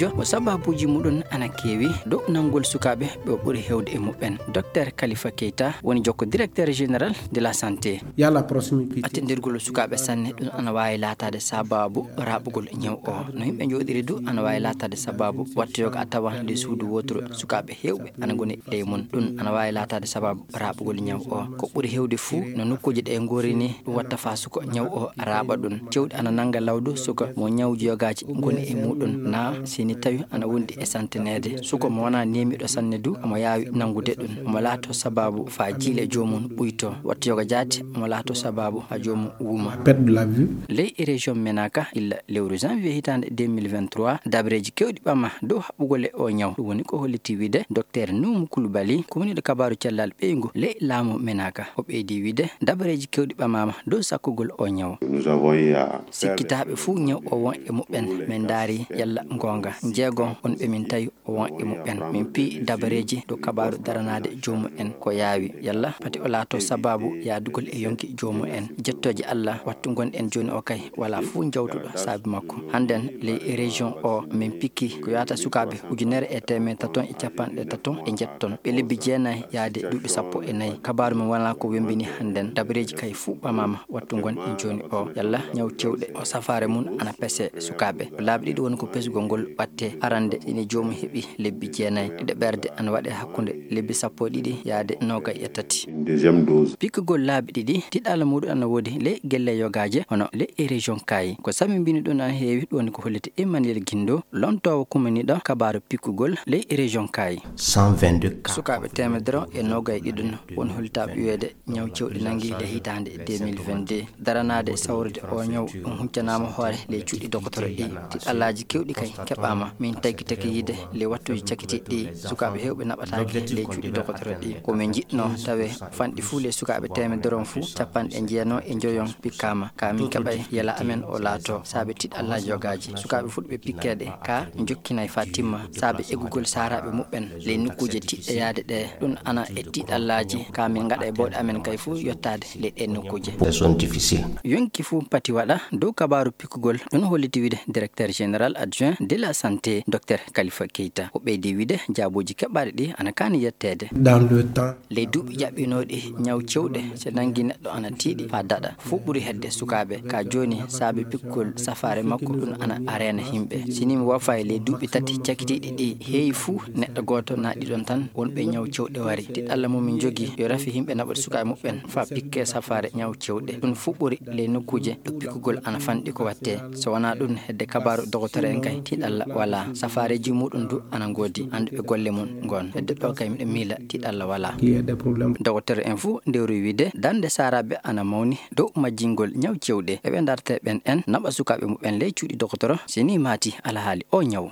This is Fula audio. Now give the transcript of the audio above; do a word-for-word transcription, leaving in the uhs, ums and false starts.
Mo sababuuji muɗum ana keewi dow nanngol sukaaɓe ɓe o ɓuri heewde e muɓɓen. Docteur Khalifa Keita woni jokko directeur général de la santé. Attindirgol sukaaɓe sanne ɗum ana waawi laataade sababu raaɓugol ñaw o. No yimɓe njooɗiri du ana waawi laataade sababu wattoyooga a tawan ley suudu wooturu sukaaɓe heewɓe ana ngoni ley mum. Ɗum ana waawi laataade sababu raaɓugol ñaw o. Ko ɓuri heewde fuu no nokkuuje ɗe ngoori ni ɗum watta faa suka ñaw o raaɓa ɗum. Cewɗi ana nannga lawdu suka mo ñawji yogaaji ngoni e muɗum naa si ni tawi ana wondi e santineede. Suka mo wonaa neemiiɗo sanne du omo yaawi nanngude ɗum. Omo laato sababu faa jiile joomum ɓuyto. Wattu yoga jaati omo laato sababu haa joomum wuuma. Ley e région Menaka illa lewru janvier hitaande deux mille vingt-trois, dabareeji keewɗi ɓama dow haɓɓugol e o ñaw. Ɗum woni ko holliti wiide Docteur Numu Kulubali, kumniiɗo kabaaru cellal ɓeyngu ley laamu Menaka. O ɓeydi wiide dabareeji keewɗi ɓamaama dow sakkugol o ñaw. Sikkitaaɓe fuu ñaw o won e muɓɓen, min ndaari yalla ngoonga. Njeegon on ɓe min tawi o won e muɓɓen. Min piyi dabareeji dow kabaaru daranaade joomum en ko yaawi. Yalla pati o laato sababu yaadugol e yonki joomum en. Jettooje Alla, wattu ngonɗen jooni o kay, walaa fuu jawtuɗo saabi makko. Hannden ley région o, min pikki ko yahata sukaaɓe ujunere e teemedde taton e capanɗe taton e njetton. Ɓe lebbi jeenayi yaade duuɓi sappo e nayi. Kabaaru men wonaa ko wemmbini hannden. Dabareeji kay fuu ɓamaama. Wattu ngonɗen jooni o, yalla ñaw cewɗe o safaare mum ana pese sukaaɓe. Ko laabi ɗiɗi woni ko pesugol ngol watte. Arannde, ine joomum heɓi lebbi jeenayi. Ɗiɗaɓerde ana waɗe hakkunde lebbi sappo e ɗiɗi yaade noogay e tati. Pikkugol laabi ɗiɗi, tiɗalla muɗum ana woodi ley gelle yogaaje, hono ley e région Kaayi. Ko sammbini ɗum ana heewi, ɗum woni ko holliti Emmanuel Guindo, lontoowo kumniiɗo kabaaru pikkugol ley e région Kaayi. Sukaaɓe teemedere e noogay ɗiɗon woni hollitaaɓe wiyeede ñaw cewɗi nanngi le hitaande deux mille vingt-deux. Daranaade sawrude o ñaw ɗum huccanaama hoore ley cuuɗi dokotoro ɗi. Tiɗallaaji keewɗi kay keɓaama. Min taggi tagi yiide ley wattuuji cakitiiɗi ɗi sukaaɓe heewɓe naɓataake ley cuuɗi dokotoro ɗi. Ko min njiɗnoo tawee fanɗi fuu ley sukaaɓe teemedere on fuu, capanɗe jeenayi e njoyon pikkaama. Ka min keɓay yela amen o laato saabe tiɗallaaji yogaaji. Sukaaɓe fuu ɓe pikkeede ka jokkinay faa timma saabe eggugol saaraaɓe muɓɓen ley nokkuuje tiɗɗe yaade ɗe. Ɗum ana e tiɗallaaji ka min ngaɗa e bawɗe amen kay fuu yottaade ley ɗee nokkuuje. Yonki fuu pati waɗa dow kabaaru pikkugol. Ɗum holliti wiide directeur général adjoint de la santé, Docteur Khalifa Keita. O ɓeydi wiide jaabooji keɓaaɗi ɗi ana kaani yetteede. Ley duuɓi ƴaɓɓinooɗi, ñaw cewɗe so nanngi neɗɗo ana tiiɗi faa daɗa. Fuu ɓuri hedde sukaaɓe. Ka jooni saabe pikkugol safaare makko ɗum ana reena yimɓe. Si ni mi woofay ley duuɓi tati cakitiiɗi ɗi, heewi fuu neɗɗo gooto naa ɗiɗon tan wonɓe ñaw cewɗe wari. Tiɗalla mo min njogii yo rafi yimɓe naɓude sukaaɓe muɓɓen faa pikkee safaare ñaw cewɗe. Ɗum fuu ɓuri ley nokkuuje ɗo pikkugol ana fanɗi ko wattee. So wonaa ɗum, hedde kabaaru dokotoro en kay, tiɗalla walaa. Safaareeji muɗum du ana ngoodi, annduɓe golle mum ngoon. Hedde ɗo kay miɗo miila tiɗalla walaa. Dokotoro en fuu ndewri wiide darnde saaraaɓe ana mawni dow majjingol ñaw cewɗi. Eɓe dartee ɓen en naɓa sukaaɓe muɓɓen ley cuuɗi dokotoro si ni maati alhaali o ñaw.